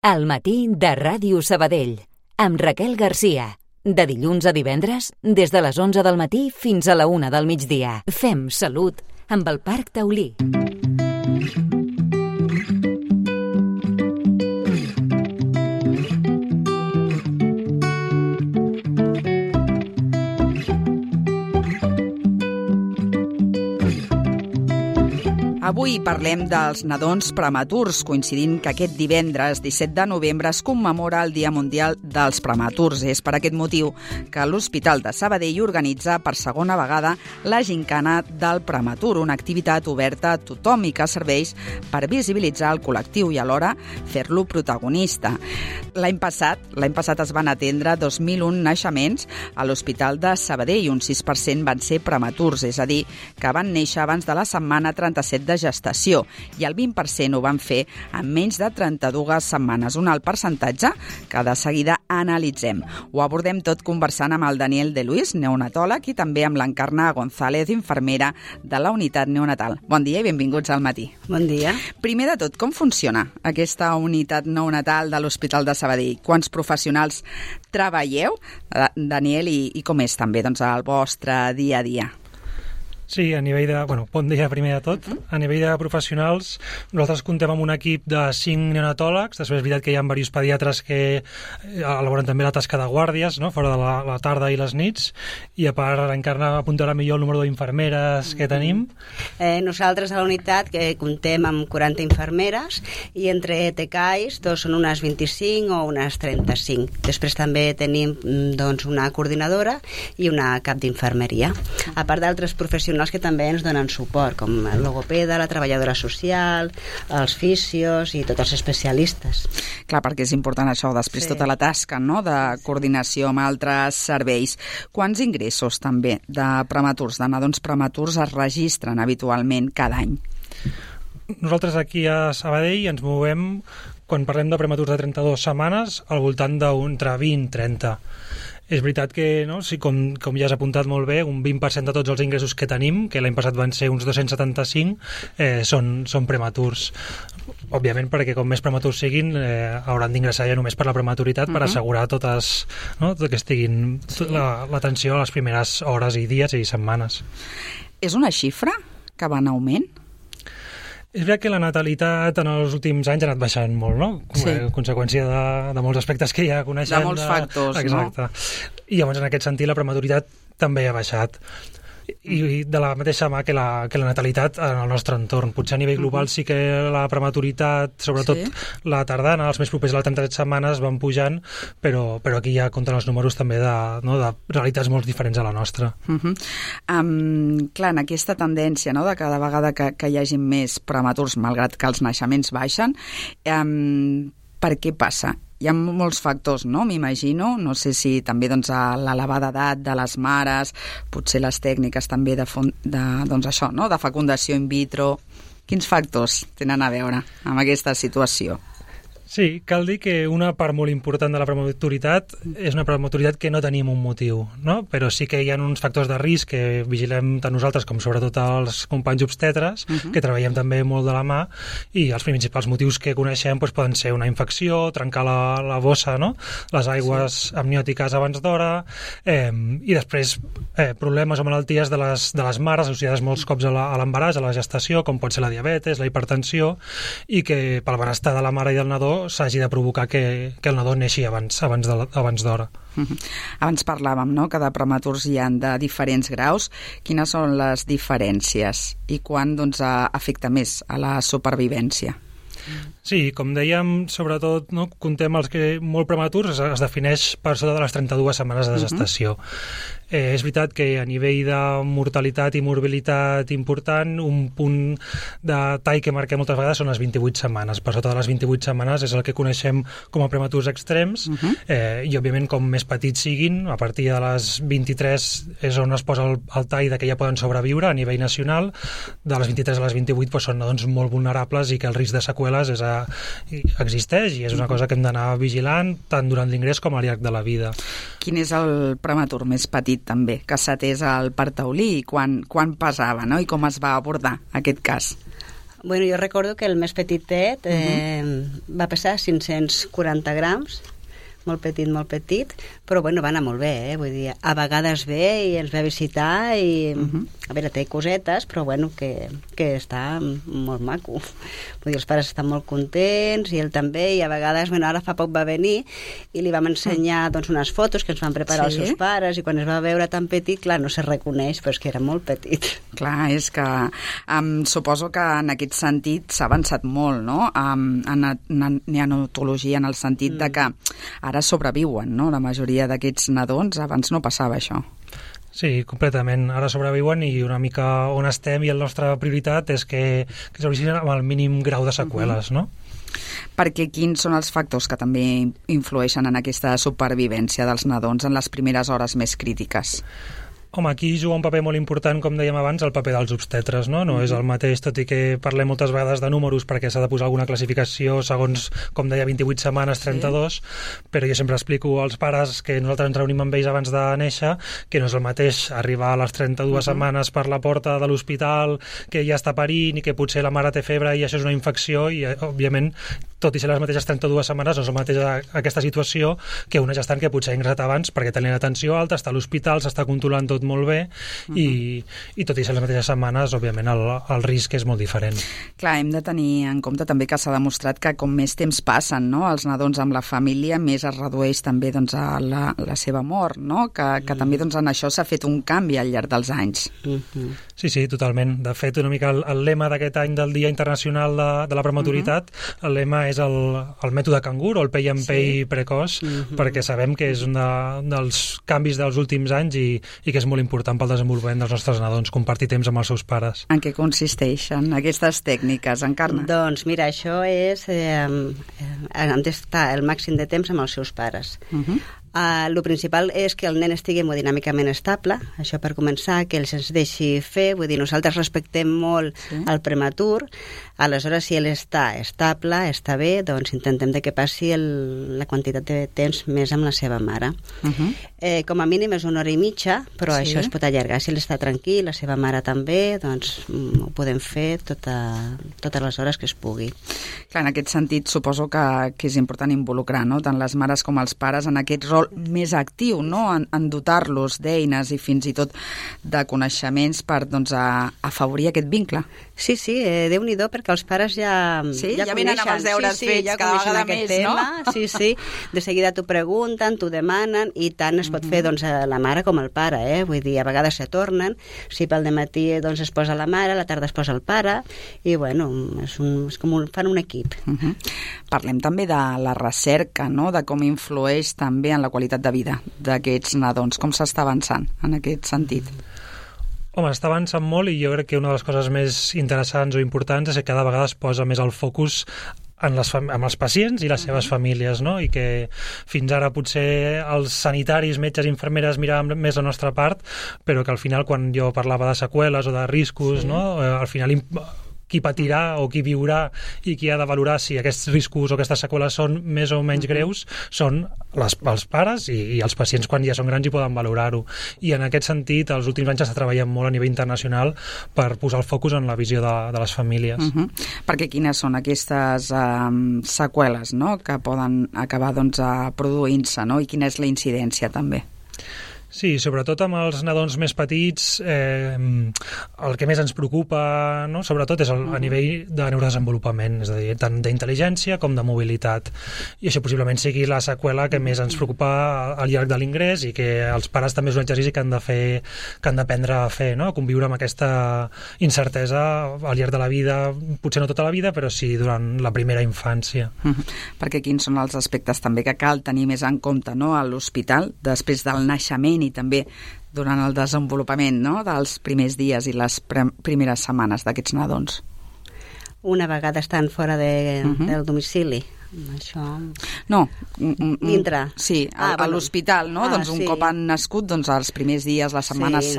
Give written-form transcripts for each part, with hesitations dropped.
Al matí de Ràdio Sabadell, amb Raquel Garcia. De dilluns a divendres, des de les 11 del matí fins a la 1 del migdia. Fem salut amb el Parc Taulí. Avui parlem dels nadons prematurs, coincidint que aquest divendres 17 de novembre es commemora el Dia Mundial dels Prematurs. És per aquest motiu que l'Hospital de Sabadell organitza per segona vegada la Gincana del Prematur, una activitat oberta a tothom i que serveix per visibilitzar el col·lectiu i alhora fer-lo protagonista. L'any passat es van atendre 2.001 naixements a l'Hospital de Sabadell i un 6% van ser prematurs, és a dir, que van néixer abans de la setmana 37 de gestació i el 20% ho van fer en menys de 32 setmanes, un alt percentatge que de seguida analitzem. Ho abordem tot conversant amb el Daniel de Luis, neonatòleg, i també amb l'Encarna González, infermera de la unitat neonatal. Bon dia i benvinguts al matí. Bon dia. Primer de tot, com funciona aquesta unitat neonatal de l'Hospital de Sabadell? Quants professionals treballeu, Daniel, i com és també el vostre dia a dia? Sí, a nivell de... bon dia primer de tot. A nivell de professionals, nosaltres comptem amb un equip de 5 neonatòlegs. Després és veritat que hi ha diversos pediatres que elaboren també la tasca de guàrdies, no?, fora de la tarda i les nits. I a part, l'Encarna apuntarà millor el número d'infermeres que tenim. Nosaltres a la unitat comptem amb 40 infermeres i entre TCAIs són unes 25 o unes 35. Després també tenim una coordinadora i una cap d'infermeria. A part d'altres professionals que també ens donen suport, com el logopeda, la treballadora social, els fisios i tots els especialistes. Clar, perquè és important això, després tota la tasca, no?, de coordinació amb altres serveis. Quants ingressos també de prematurs, de nadons prematurs es registren habitualment cada any? Nosaltres aquí a Sabadell ens movem, quan parlem de prematurs de 32 setmanes, al voltant d'entre 20 i 30. És veritat que, no, sí, com ja has apuntat molt bé, un 20% de tots els ingressos que tenim, que l'any passat van ser uns 275, són prematurs. Òbviament, perquè com més prematurs siguin, hauran d'ingressar ja només per la prematuritat, per assegurar totes, no, que estiguin l'atenció a les primeres hores i dies i setmanes. És una xifra que va en augment? És veritat que la natalitat en els últims anys ha anat baixant molt, no? Sí. Conseqüència de molts aspectes que ja coneixem. De molts factors, exacte. No? I llavors, en aquest sentit, la prematuritat també ha baixat. I de la mateixa mà que la natalitat en el nostre entorn. Potser a nivell global sí que la prematuritat, sobretot la tardana, els més propers a les 37 setmanes van pujant, però aquí ja compten els números també de realitats molt diferents a la nostra. Clar, en aquesta tendència, no?, de cada vegada que hi hagi més prematurs, malgrat que els naixements baixen, per què passa? Hi ha molts factors, no?, m'imagino. No sé si també l'elevada edat de les mares, potser les tècniques també de fecundació in vitro. Quins factors tenen a veure amb aquesta situació? Sí, cal dir que una part molt important de la prematuritat és una prematuritat que no tenim un motiu, no? Però sí que hi ha uns factors de risc que vigilem tant nosaltres com sobretot els companys obstetres, que treballem també molt de la mà, i els principals motius que coneixem poden ser una infecció, trencar la bossa, no?, les aigües amniòtiques abans d'hora, i després problemes o malalties de les mares associades molts cops a l'embaràs, a la gestació, com pot ser la diabetes, la hipertensió, i que pel benestar de la mare i del nadó s'hagi de provocar que el nadó neixi abans d'hora. Abans parlàvem, no?, que de prematurs hi ha de diferents graus. Quines són les diferències i quan afecta més a la supervivència? Sí, com dèiem, sobretot, no, comptem els que molt prematurs es defineix per sota de les 32 setmanes de gestació. És veritat que a nivell de mortalitat i morbilitat important, un punt de tall que marquem moltes vegades són les 28 setmanes. Per sota de les 28 setmanes és el que coneixem com a prematurs extrems, i òbviament com més petits siguin, a partir de les 23 és on es posa el tall de que ja poden sobreviure a nivell nacional. De les 23 a les 28 són nadons molt vulnerables i que el risc de seqüeles existeix i és una cosa que hem d'anar vigilant tant durant l'ingrés com al llarg de la vida. Quin és el prematur més petit també que s'ha atès al Parc Taulí i quan pesava, no?, i com es va abordar aquest cas? Bueno, jo recordo que el més petitet va pesar 540 grams, molt petit, però bueno, va anar molt bé, vull dir, a vegades ve i ens ve a visitar i, a veure, té cosetes, però bueno, que està molt maco. Vull dir, els pares estan molt contents i ell també, i a vegades, bueno, ara fa poc va venir i li vam ensenyar doncs unes fotos que ens van preparar els seus pares, i quan es va veure tan petit, clar, no se reconeix, però és que era molt petit. Clar, és que suposo que en aquest sentit s'ha avançat molt, no?, en neonatologia, en el sentit de que ara sobreviuen, no?, la majoria d'aquests nadons. Abans no passava això. Sí, completament. Ara sobreviuen i una mica on estem i la nostra prioritat és que sobrevisquin amb el mínim grau de seqüeles, no? Perquè quins són els factors que també influeixen en aquesta supervivència dels nadons en les primeres hores més crítiques? Home, aquí juga un paper molt important, com dèiem abans, el paper dels obstetres, no? No és el mateix, tot i que parlem moltes vegades de números perquè s'ha de posar alguna classificació segons, com deia, 28 setmanes, 32, però jo sempre explico als pares que nosaltres ens reunim amb ells abans de néixer, que no és el mateix arribar a les 32 setmanes per la porta de l'hospital, que ja està parint i que potser la mare té febre i això és una infecció i, òbviament, tot i ser les mateixes 32 setmanes, no és el mateix aquesta situació que una gestant que potser ha ingressat abans perquè tenia la tensió alta, està a l'hospital, s'està controlant tot molt bé i tot i ser les mateixes setmanes, òbviament el risc és molt diferent. Clar, hem de tenir en compte també que s'ha demostrat que com més temps passen, no?, els nadons amb la família, més es redueix també doncs, a la seva mort, no?, que també doncs, en això s'ha fet un canvi al llarg dels anys. Sí, totalment. De fet, una mica el lema d'aquest any del Dia Internacional de la Prematuritat, el lema és el mètode cangur o el pay and pay precoç, perquè sabem que és un dels canvis dels últims anys i que és molt important pel desenvolupament dels nostres nadons, compartir temps amb els seus pares. En què consisteixen aquestes tècniques, Encarna? Doncs mira, això és han d'estar el màxim de temps amb els seus pares. Lo principal és que el nen estigui hemodinàmicament estable, això per començar, que ell se'ns deixi fer, vull dir, nosaltres respectem molt el prematur, aleshores si ell està estable, està bé, doncs intentem que passi la quantitat de temps més amb la seva mare. Com a mínim és 1 hora i mitja, però això es pot allargar. Si ell està tranquil, la seva mare també, doncs ho podem fer totes les hores que es pugui. Clar, en aquest sentit suposo que és important involucrar, no?, tant les mares com els pares en aquest rol més actiu, no?, en dotar-los d'eines i fins i tot de coneixements per doncs, afavorir aquest vincle. Sí, Déu-n'hi-do, perquè els pares ja venen amb els deures fets cada vegada més, no? Sí, de seguida t'ho pregunten, t'ho demanen i tant es pot fer doncs, a la mare com al pare, vull dir, a vegades se tornen, si pel dematí doncs, es posa la mare, a la tarda es posa el pare i bueno, és com fan un equip. Parlem també de la recerca, no?, de com influeix també en la qualitat de vida d'aquests nadons, com s'està avançant en aquest sentit? Home, està avançant molt i jo crec que una de les coses més interessants o importants és que cada vegada es posa més el focus amb els pacients i les seves famílies, no? I que fins ara potser els sanitaris, metges i infermeres miraven més la nostra part, però que al final quan jo parlava de seqüeles o de riscos, no? Al final qui patirà o qui viurà i qui ha de valorar si aquests riscos o aquestes seqüeles són més o menys greus són els pares i els pacients quan ja són grans i poden valorar-ho. I en aquest sentit, els últims anys s'està treballant molt a nivell internacional per posar el focus en la visió de les famílies. Perquè quines són aquestes seqüeles, no?, que poden acabar doncs, produint-se, no?, i quina és la incidència també? Sí, sobretot amb els nadons més petits, el que més ens preocupa, no?, sobretot és a nivell de neurodesenvolupament, és a dir, tant d'intel·ligència com de mobilitat. I això possiblement sigui la seqüela que més ens preocupa al llarg de l'ingrés i que els pares també és un exercici que han d'aprendre a fer, no?, a conviure amb aquesta incertesa al llarg de la vida, potser no tota la vida, però sí durant la primera infància. Perquè quins són els aspectes també que cal tenir més en compte, no?, a l'hospital, després del naixement i també durant el desenvolupament, no?, dels primers dies i les primeres setmanes d'aquests nadons? Una vegada estan fora del domicili. Això... No. Dintre. Sí, a l'hospital, no? Doncs un cop han nascut, doncs els primers dies, les setmanes,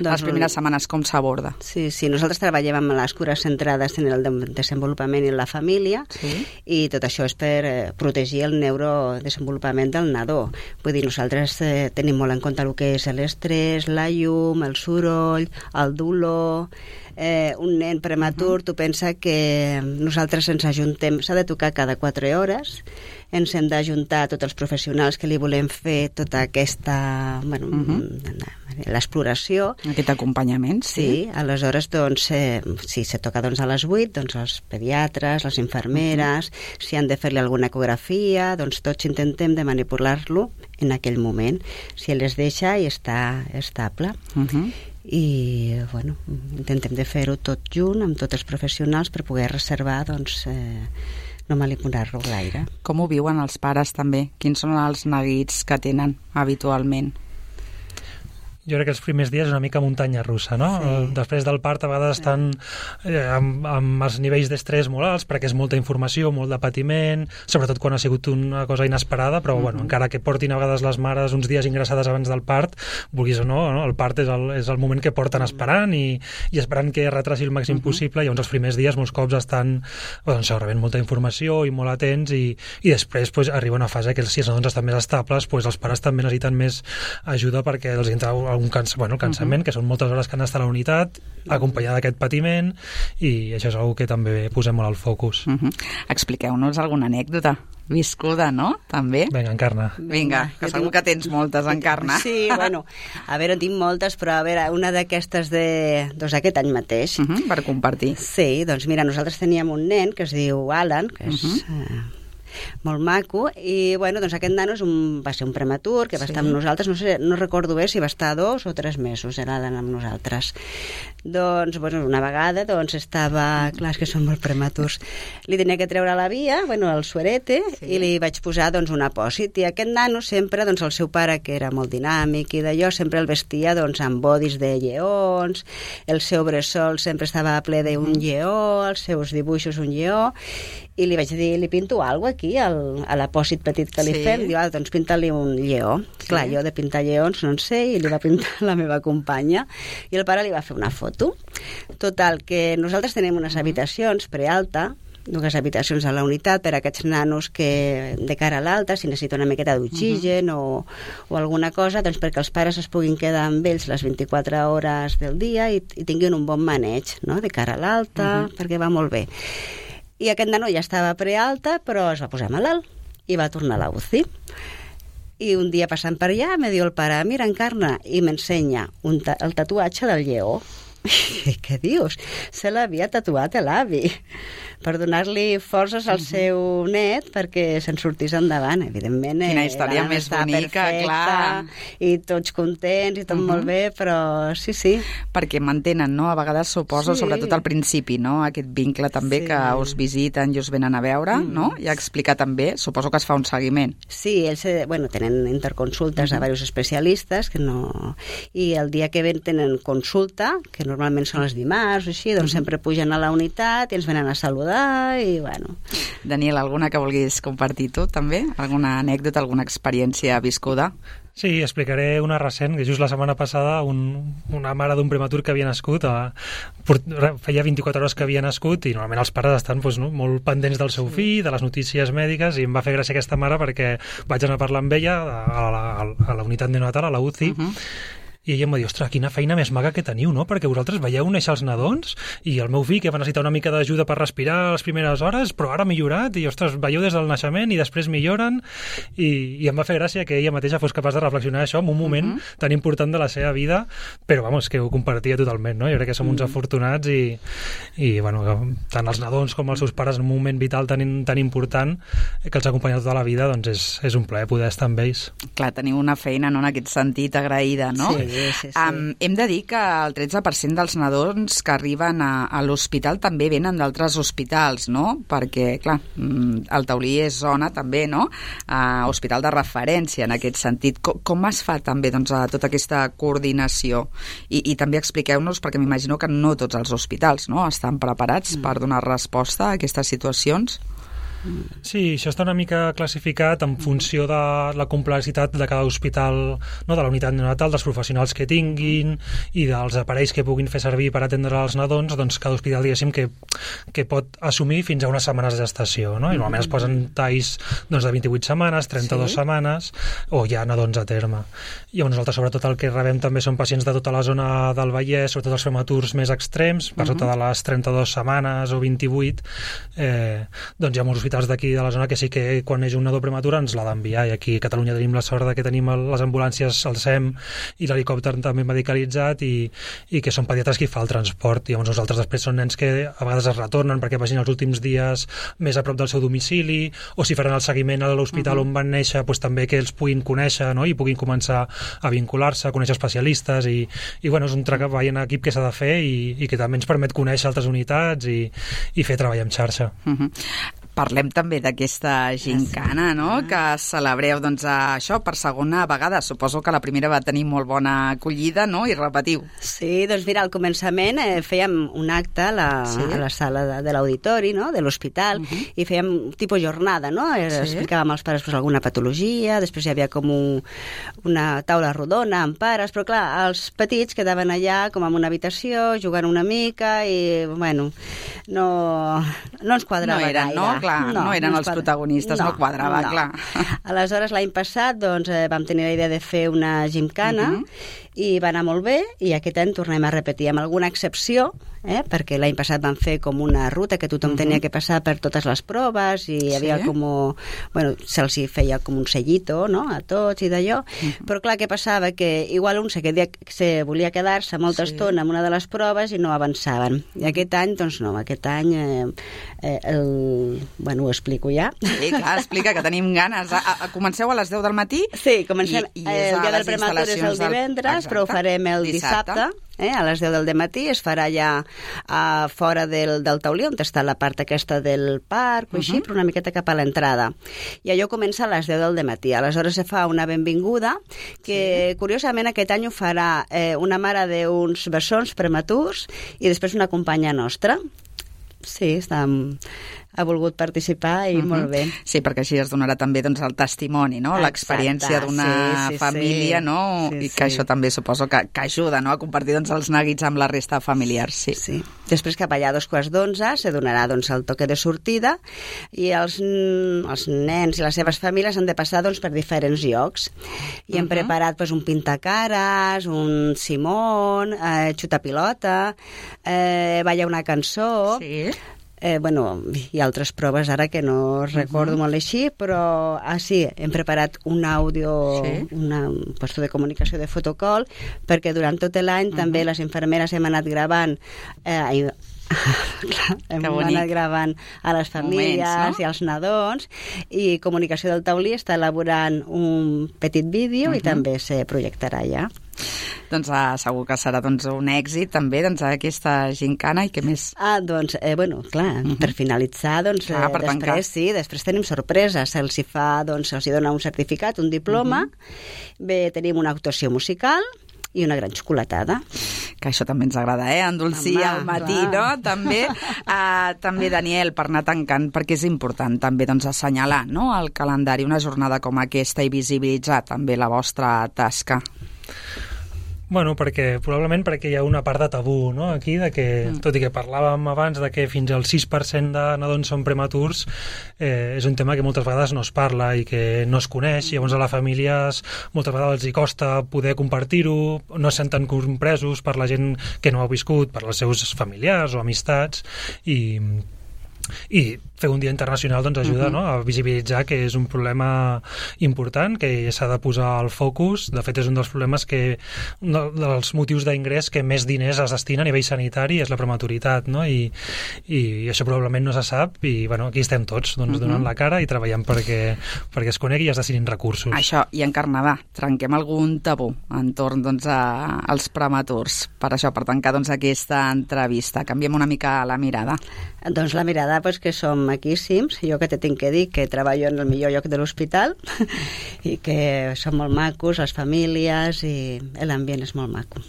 les primeres setmanes, com s'aborda? Sí, nosaltres treballem amb les cures centrades en el desenvolupament i en la família i tot això és per protegir el neurodesenvolupament del nadó. Vull dir, nosaltres tenim molt en compte el que és l'estrès, la llum, el soroll, el dolor, un nen prematur, tu pensa que nosaltres ens ajuntem, s'ha de tocar cada 4 hores, ens hem d'ajuntar tots els professionals que li volem fer tota aquesta, l'exploració. Aquest acompanyament, sí. Aleshores, doncs, si se toca a les 8, doncs els pediatres, les infermeres, si han de fer-li alguna ecografia, doncs tots intentem de manipular-lo en aquell moment, si ell es deixa i està estable. I, bueno, intentem de fer-ho tot junt amb tots els professionals per poder reservar, doncs, no manipular-lo gaire. Com ho viuen els pares també? Quins són els neguits que tenen habitualment? Jo crec que els primers dies és una mica muntanya russa, no? Sí. Després del part a vegades estan amb els nivells d'estrès molt alts perquè és molta informació, molt de patiment, sobretot quan ha sigut una cosa inesperada, però bueno, encara que portin a vegades les mares uns dies ingressades abans del part, vulguis o no, el part és el moment que porten esperant i esperant que retraci el màxim possible, i llavors els primers dies molts cops estan rebent molta informació i molt atents i després arriba una fase que si els nadons estan més estables, els pares també necessiten més ajuda perquè els entra el cansament, que són moltes hores que han d'estar a la unitat, acompanyada d'aquest patiment, i això és una que també posem molt al focus. Expliqueu-nos alguna anècdota viscuda, no? També? Vinga, Encarna. Vinga, que segur que tens moltes, Encarna. Sí, bueno, a veure, en tinc moltes, però a veure, una d'aquestes d'aquest any mateix. Per compartir. Sí, doncs mira, nosaltres teníem un nen que es diu Alan, que és molt maco, i bueno, doncs aquest nano va ser un prematur que va estar amb nosaltres, no recordo bé si va estar 2 o 3 mesos era amb nosaltres. Doncs bueno, una vegada estava, clar, és que són molt prematurs, li tenia que treure la via, el suerete, i li vaig posar un apòsit, i aquest nano sempre, el seu pare, que era molt dinàmic i d'allò, sempre el vestia amb bodis de lleons, el seu bressol sempre estava ple d'un lleó, els seus dibuixos un lleó, i li vaig dir, li pinto alguna cosa aquí, a l'apòsit petit que li fem? Diu, doncs pinta-li un lleó. Clar, jo de pintar lleons no en sé, i li va pintar la meva companya, i el pare li va fer una foto. Total, que nosaltres tenim unes habitacions prealta, 2 habitacions a la unitat per a aquests nanos que de cara a l'alta, si necessita una miqueta d'oxigen o alguna cosa, doncs perquè els pares es puguin quedar amb ells les 24 hores del dia i tinguin un bon maneig, no?, de cara a l'alta, perquè va molt bé. I aquest nano ja estava prealta, però es va posar malalt i va tornar a la UCI. I un dia passant per allà me diu el pare, mira, Encarna, i m'ensenya el tatuatge del lleó. I què dius? Se l'havia tatuat l'avi per donar-li forces al seu net perquè se'n sortís endavant. Evidentment, quina història més bonica, clar. I tots contents i tot molt bé, però sí. Perquè mantenen, no? A vegades suposo, sobretot al principi, no? Aquest vincle també que us visiten i us venen a veure, no? I a explicar també, suposo que es fa un seguiment. Sí, ells tenen interconsultes a diversos especialistes i el dia que ven tenen consulta, que normalment són els dimarts o així, doncs sempre pugen a la unitat i ens venen a saludar i bueno. Daniel, alguna que vulguis compartir tu també? Alguna anècdota, alguna experiència viscuda? Sí, explicaré una recent, que just la setmana passada una mare d'un prematur que havia nascut, feia 24 hores que havia nascut, i normalment els pares estan molt pendents del seu fill, de les notícies mèdiques, i em va fer gràcia aquesta mare perquè vaig anar a parlar amb ella a la unitat neonatal, a la UCI, i ella em va dir, ostres, quina feina més maca que teniu, no? Perquè vosaltres veieu néixer els nadons i el meu fill, que va necessitar una mica d'ajuda per respirar les primeres hores, però ara ha millorat i, ostres, veieu des del naixement i després milloren, i em va fer gràcia que ella mateixa fos capaç de reflexionar això en un moment tan important de la seva vida, però, que ho compartia totalment, no? Jo crec que som uns afortunats i tant els nadons com els seus pares en un moment vital tan important que els acompanya tota la vida, doncs és un plaer poder estar amb ells. Clar, teniu una feina, no?, en aquest sentit agraïda, no? Sí. Hem de dir que el 13% dels nadons que arriben a l'hospital també venen d'altres hospitals, no? Perquè, clar, el Taulí és zona també, no? Hospital de referència en aquest sentit. Com es fa també tota aquesta coordinació? I també expliqueu-nos, perquè m'imagino que no tots els hospitals, no?, estan preparats per donar resposta a aquestes situacions. Sí, això està una mica classificat en funció de la complexitat de cada hospital, no, de la unitat neonatal, dels professionals que tinguin i dels aparells que puguin fer servir per atendre els nadons. Doncs cada hospital, diguéssim, que pot assumir fins a unes setmanes de gestació, no? I normalment es posen talls doncs, de 28 setmanes, 32 setmanes, o hi ha nadons a terme. I nosaltres, sobretot, el que rebem també són pacients de tota la zona del Vallès, sobretot els prematurs més extrems, per sota de les 32 setmanes o 28, doncs hi ha molts hospitals d'aquí de la zona que sí que quan neix un nadó prematur ens l'ha d'enviar, i aquí a Catalunya tenim la sort que tenim les ambulàncies, el SEM i l'helicòpter també medicalitzat, i que són pediatres qui fa el transport. I llavors nosaltres després són nens que a vegades es retornen perquè vagin els últims dies més a prop del seu domicili, o si faran el seguiment a l'hospital on van néixer, doncs també que els puguin conèixer, no? I puguin començar a vincular-se, a conèixer especialistes, i bueno, és un treball en equip que s'ha de fer i que també ens permet conèixer altres unitats i fer treball en xarxa. Parlem també d'aquesta gincana, no?, que celebreu, doncs, això per segona vegada. Suposo que la primera va tenir molt bona acollida, no?, i repetiu. Sí, doncs mira, al començament fèiem un acte a la sala de l'auditori, no?, de l'hospital, i fèiem tipus jornada, no?, explicàvem als pares alguna patologia, després hi havia com una taula rodona amb pares, però clar, els petits quedaven allà com en una habitació, jugant una mica, i bueno, no ens quadrava gaire. No clar, no eren els protagonistes, no quadrava, clar. Aleshores, l'any passat, doncs, vam tenir la idea de fer una gimcana, i va anar molt bé, i aquest any tornem a repetir amb alguna excepció, perquè l'any passat van fer com una ruta que tothom tenia que passar per totes les proves, i hi havia com... Bueno, se'ls feia com un sellito, no?, a tots i d'allò, però clar, què passava? Que igual un se volia quedar-se molta estona en una de les proves i no avançaven. I aquest any, doncs no, aquest any bueno, ho explico ja. Sí, clar, explica, que tenim ganes. Comenceu a les 10 del matí? Sí, comencem. El dia del prematur és el divendres, però ho farem el dissabte. A les 10 del matí es farà ja fora del taulí, on està la part aquesta del parc, o així, però una miqueta cap a l'entrada. I allò comença a les 10 del matí. Aleshores se fa una benvinguda, que curiosament aquest any ho farà una mare d'uns bessons prematurs i després una companya nostra. Sí, ha volgut participar i molt bé. Sí, perquè així es donarà també doncs, el testimoni, no? L'experiència d'una família, no? I que això també suposo que ajuda, no?, a compartir doncs, els neguits amb la resta familiars. Sí. Després cap allà a 11:45 se donarà doncs, el toque de sortida, i els nens i les seves famílies han de passar doncs, per diferents llocs. I hem preparat doncs, un pintacares, un Simón, xutapilota, balla una cançó... Sí. Bueno, hi ha altres proves ara que no recordo molt així, però sí, hem preparat un àudio, un puesto de comunicació de fotocall, perquè durant tot l'any també les infermeres hem anat gravant hem anat gravant a les famílies moments, no? I als nadons, i Comunicació del Taulí està elaborant un petit vídeo i també se projectarà ja. Doncs segur que serà doncs, un èxit també doncs, aquesta gincana, i què més? Doncs, bueno, clar, per finalitzar, doncs, després tenim sorpreses. Se'ls dona un certificat, un diploma, bé, tenim una actuació musical i una gran xocolatada. Que això també ens agrada, endolcir al matí, no? També, Daniel, per anar tancant, perquè és important també doncs, assenyalar, no?, el calendari, una jornada com aquesta, i visibilitzar també la vostra tasca. Bueno, probablement perquè hi ha una part de tabú, no?, aquí, de que, tot i que parlàvem abans de que fins al 6% de nadons són prematurs, és un tema que moltes vegades no es parla i que no es coneix, i llavors a les famílies moltes vegades els hi costa poder compartir-ho, no es senten compresos per la gent que no ho ha viscut, per els seus familiars o amistats, i fer un dia internacional doncs, ajuda no? A visibilitzar que és un problema important, que s'ha de posar al focus. De fet, és un dels problemes dels motius d'ingrés que més diners es destina a nivell sanitari, és la prematuritat, no? I això probablement no se sap, i bueno, aquí estem tots donant la cara i treballant perquè es conegui i es destinin recursos. Això, i encarnar, trenquem algun tabú entorn doncs, als prematurs. Per això, per tancar doncs, aquesta entrevista, canviem una mica la mirada. Doncs la mirada, que som maquíssims. Jo que te tinc que dir que treballo en el millor lloc de l'hospital i que som molt macos, les famílies, i l'ambient és molt maco.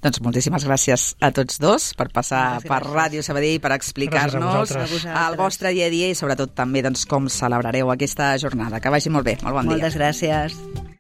Doncs moltíssimes gràcies a tots dos per passar per Ràdio Sabadell, per explicar-nos el vostre dia a dia i sobretot també doncs, com celebrareu aquesta jornada. Que vagi molt bé. Molt bon dia. Moltes gràcies.